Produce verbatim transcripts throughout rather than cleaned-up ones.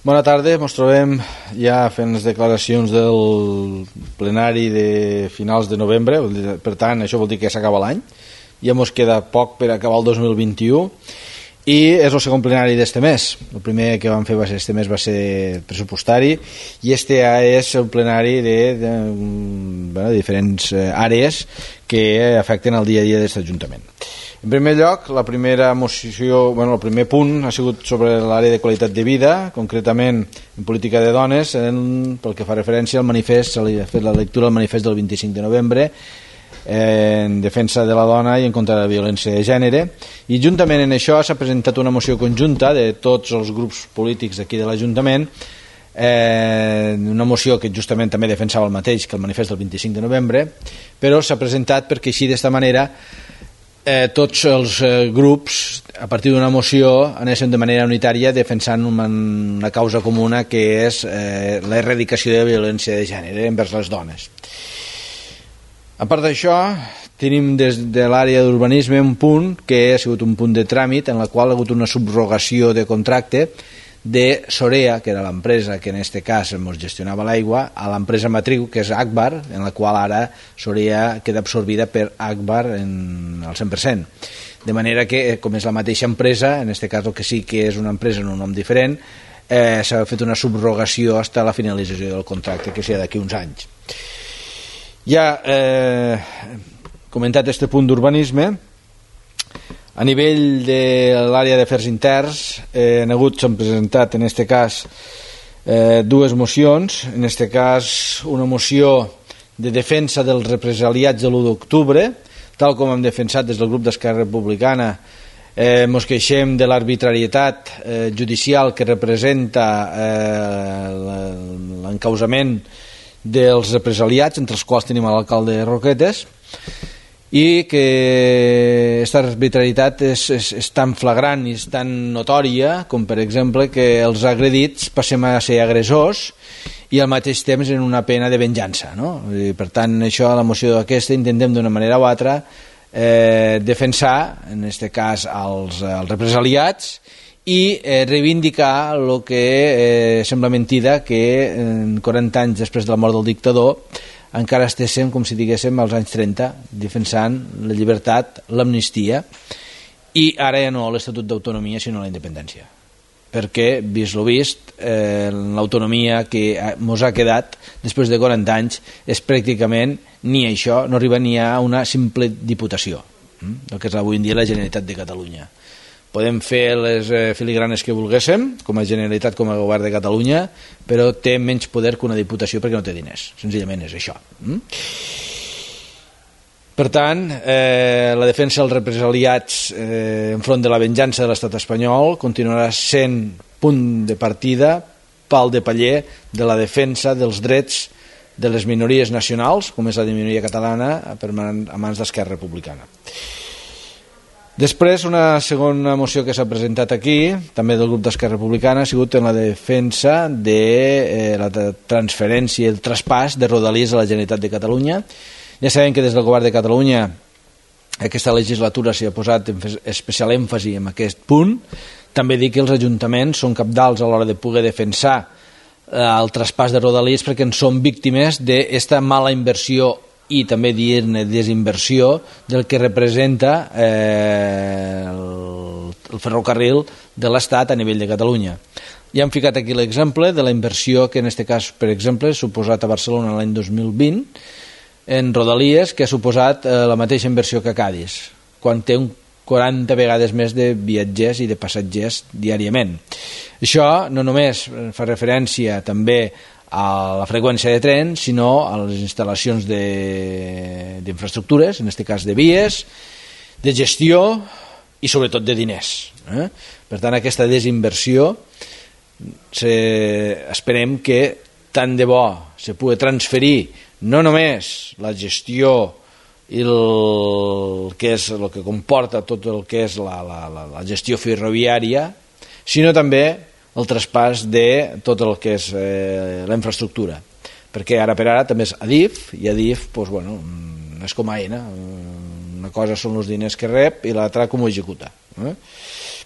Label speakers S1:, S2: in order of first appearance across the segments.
S1: Bona tarda, ens trobem ja fent les declaracions del plenari de finals de novembre, per tant això vol dir que s'acaba l'any, ja ens queda poc per acabar el dos mil vint-i-u i és el segon plenari d'este mes. El primer que vam fer va ser este mes va ser pressupostari i este ja és el plenari de, de, bueno, de diferents àrees que afecten el dia a dia d'aquest Ajuntament. En primer lloc, la primera moció, bueno, el primer punt ha sigut sobre l'àrea de qualitat de vida, concretament en política de dones, en, pel que fa referència al manifest, s'ha fet la lectura del manifest del vint-i-cinc de novembre, eh, en defensa de la dona i en contra de la violència de gènere, i juntament en això s'ha presentat una moció conjunta de tots els grups polítics d'aquí de l'Ajuntament, eh, una moció que justament també defensava el mateix que el manifest del vint-i-cinc de novembre, però s'ha presentat perquè així d'esta manera Eh, tots els eh, grups a partir d'una moció anessin de manera unitària defensant una, una causa comuna que és eh, l'erradicació de la violència de gènere envers les dones. A part d'això, tenim des de l'àrea d'urbanisme un punt que ha sigut un punt de tràmit en la qual ha hagut una subrogació de contracte de Sorea, que era l'empresa que en aquest cas ens gestionava l'aigua, a l'empresa matriu, que és Agbar, en la qual ara Sorea queda absorbida per Agbar en el cent per cent. De manera que, com és la mateixa empresa, en aquest cas el que sí que és una empresa en un nom diferent, eh, s'ha fet una subrogació fins a la finalització del contracte, que serà d'aquí uns anys. Ja eh, comentat este punt d'urbanisme, a nivell de l'àrea d'afers interns eh, han hagut, s'han presentat en aquest cas eh, dues mocions, en aquest cas una moció de defensa dels represaliats de l'u d'octubre, tal com hem defensat des del grup d'Esquerra Republicana. Eh, mos queixem de l'arbitrarietat eh, judicial que representa eh, l'encausament dels represaliats, entre els quals tenim l'alcalde de Roquetes, i que aquesta arbitrarietat és, és, és tan flagrant i és tan notòria com, per exemple, que els agredits passem a ser agressors i al mateix temps en una pena de venjança, no? I, per tant, això a la moció d'aquesta intentem d'una manera o altra eh, defensar, en aquest cas, els, els represaliats i eh, reivindicar el que eh, sembla mentida que en quaranta anys després de la mort del dictador encara estéssim, com si diguéssim, als anys trenta, defensant la llibertat, l'amnistia, i ara ja no l'Estatut d'Autonomia, sinó la independència. Perquè, vist lo vist, eh, l'autonomia que mos ha quedat després de quaranta anys és pràcticament ni això, no arriba ni a una simple diputació, eh? el que és avui en dia la Generalitat de Catalunya. Podem fer les eh, filigranes que volguéssim, com a Generalitat, com a Govern de Catalunya, però té menys poder que una diputació perquè no té diners. Senzillament és això. Mm? Per tant, eh, la defensa dels represaliats eh, enfront de la venjança de l'estat espanyol continuarà sent punt de partida, pal de paller de la defensa dels drets de les minories nacionals, com és la de minoria catalana, a mans d'Esquerra Republicana. Després, una segona moció que s'ha presentat aquí, també del grup d'Esquerra Republicana, ha sigut en la defensa de eh, la transferència i el traspàs de Rodalies a la Generalitat de Catalunya. Ja sabem que des del Govern de Catalunya aquesta legislatura s'hi ha posat especial èmfasi en aquest punt. També dic que els ajuntaments són cabdals a l'hora de poder defensar eh, el traspàs de Rodalies perquè en són víctimes d'aquesta mala inversió i també dir-ne desinversió del que representa eh, el, el ferrocarril de l'Estat a nivell de Catalunya. Ja hem ficat aquí l'exemple de la inversió que en aquest cas, per exemple, ha suposat a Barcelona l'any dos mil vint en Rodalies, que ha suposat eh, la mateixa inversió que a Cadis, quan té un quaranta vegades més de viatgers i de passatgers diàriament. Això no només fa referència també a la freqüència de tren, sinó a les instal·lacions d'infraestructures, en aquest cas de vies, de gestió i sobretot de diners. Eh? Per tant, aquesta desinversió se, esperem que tant de bo se pugui transferir no només la gestió i el que és el que comporta tot el que és la, la, la, la gestió ferroviària, sinó també el traspàs de tot el que és eh, la infraestructura, perquè ara per ara també és Adif, i Adif doncs, bueno, és com Aena, una cosa són els diners que rep i l'altra com ho executa. Eh?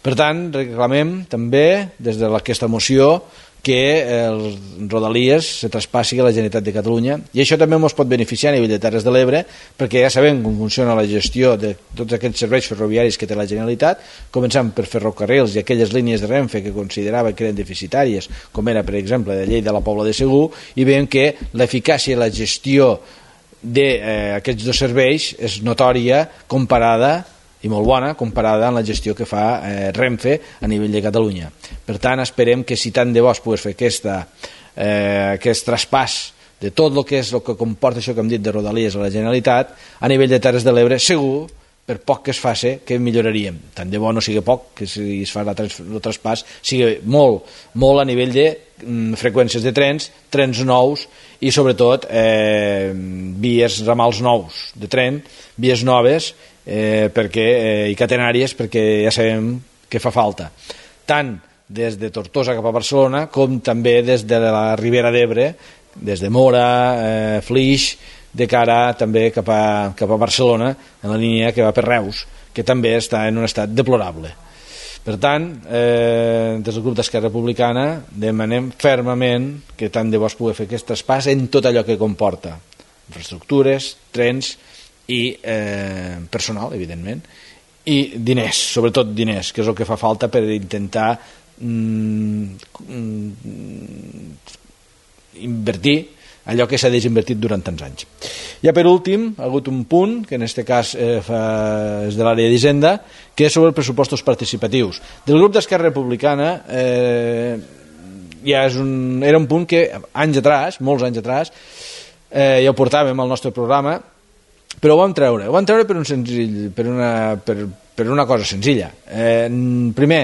S1: Per tant, reclamem també des d'aquesta moció que els Rodalies se traspassi a la Generalitat de Catalunya, i això també ens pot beneficiar a nivell de Terres de l'Ebre, perquè ja sabem com funciona la gestió de tots aquests serveis ferroviaris que té la Generalitat, començant per ferrocarrils i aquelles línies de Renfe que considerava que eren deficitàries, com era per exemple de Lleida a la Pobla de Segur, i veiem que l'eficàcia i la gestió d'aquests eh, dos serveis és notòria comparada i molt bona comparada amb la gestió que fa eh, Renfe a nivell de Catalunya. Per tant, esperem que si tant de bo es pogués fer aquesta, eh, aquest traspàs de tot el que és el que comporta això que hem dit de Rodalies a la Generalitat, a nivell de Terres de l'Ebre, segur, per poc que es faci, que milloraríem. Tant de bo no sigui poc, que si es fa el traspàs sigui molt, molt a nivell de mm, freqüències de trens, trens nous i sobretot eh, vies ramals nous de tren, vies noves, Eh, perquè, eh, i catenàries, perquè ja sabem que fa falta tant des de Tortosa cap a Barcelona com també des de la Ribera d'Ebre, des de Mora, eh, Flix, de cara també cap a, cap a Barcelona, en la línia que va per Reus, que també està en un estat deplorable. Per tant, eh, des del grup d'Esquerra Republicana demanem fermament que tant de bo es pugui fer aquest traspàs en tot allò que comporta infraestructures, trens i eh, personal, evidentment, i diners, sobretot diners, que és el que fa falta per intentar mm, mm, invertir allò que s'ha desinvertit durant tants anys. Ja per últim, ha hagut un punt, que en aquest cas eh, fa, és de l'àrea d'Hisenda, que és sobre els pressupostos participatius. Del grup d'Esquerra Republicana eh, ja és un, era un punt que anys atrás, molts anys atrás, eh, ja ho portàvem al nostre programa, però ho vam treure, ho vam treure per, un senzill, per, una, per, per una cosa senzilla. Eh, primer,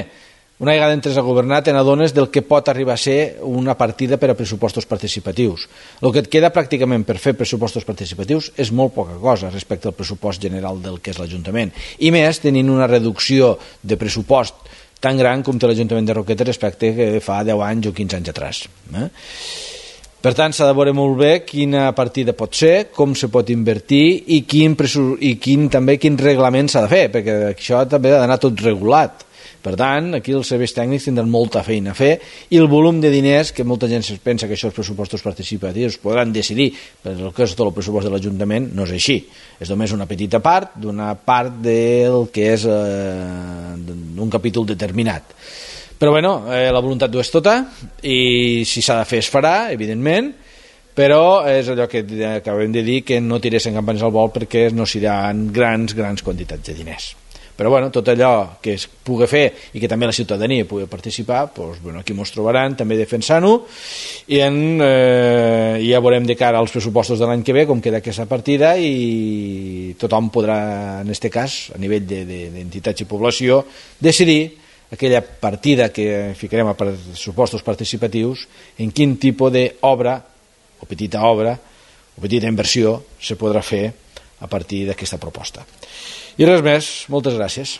S1: una vegada entres a governar te n'adones del que pot arribar a ser una partida per a pressupostos participatius. El que et queda pràcticament per fer pressupostos participatius és molt poca cosa respecte al pressupost general del que és l'Ajuntament, i més tenint una reducció de pressupost tan gran com té l'Ajuntament de Roquetes respecte que fa deu anys o quinze anys atrás. Eh? Per tant, s'ha de veure molt bé quina partida pot ser, com se pot invertir i quin, i quin també quin reglament s'ha de fer, perquè això també ha d'anar tot regulat. Per tant, aquí els serveis tècnics tindran molta feina a fer i el volum de diners, que molta gent pensa que això els pressupostos participatius podran decidir per el que és tot el pressupost de l'Ajuntament, no és així. És només una petita part d'una part del que és eh, un capítol determinat. Però bueno, eh, la voluntat ho és tota i si s'ha de fer es farà, evidentment, però és allò que acabem de dir, que no tiressin campanyes al vol perquè no seran grans, grans quantitats de diners. Però bueno, tot allò que es pugui fer i que també la ciutadania pugui participar, doncs, bueno, aquí ens trobaran també defensant-ho i en, eh, ja veurem de cara als pressupostos de l'any que ve com queda aquesta partida i tothom podrà, en aquest cas, a nivell d'entitats i població, decidir aquella partida que ficarem a pressupostos participatius, en quin tipus d'obra, o petita obra, o petita inversió, se podrà fer a partir d'aquesta proposta. I res més, moltes gràcies.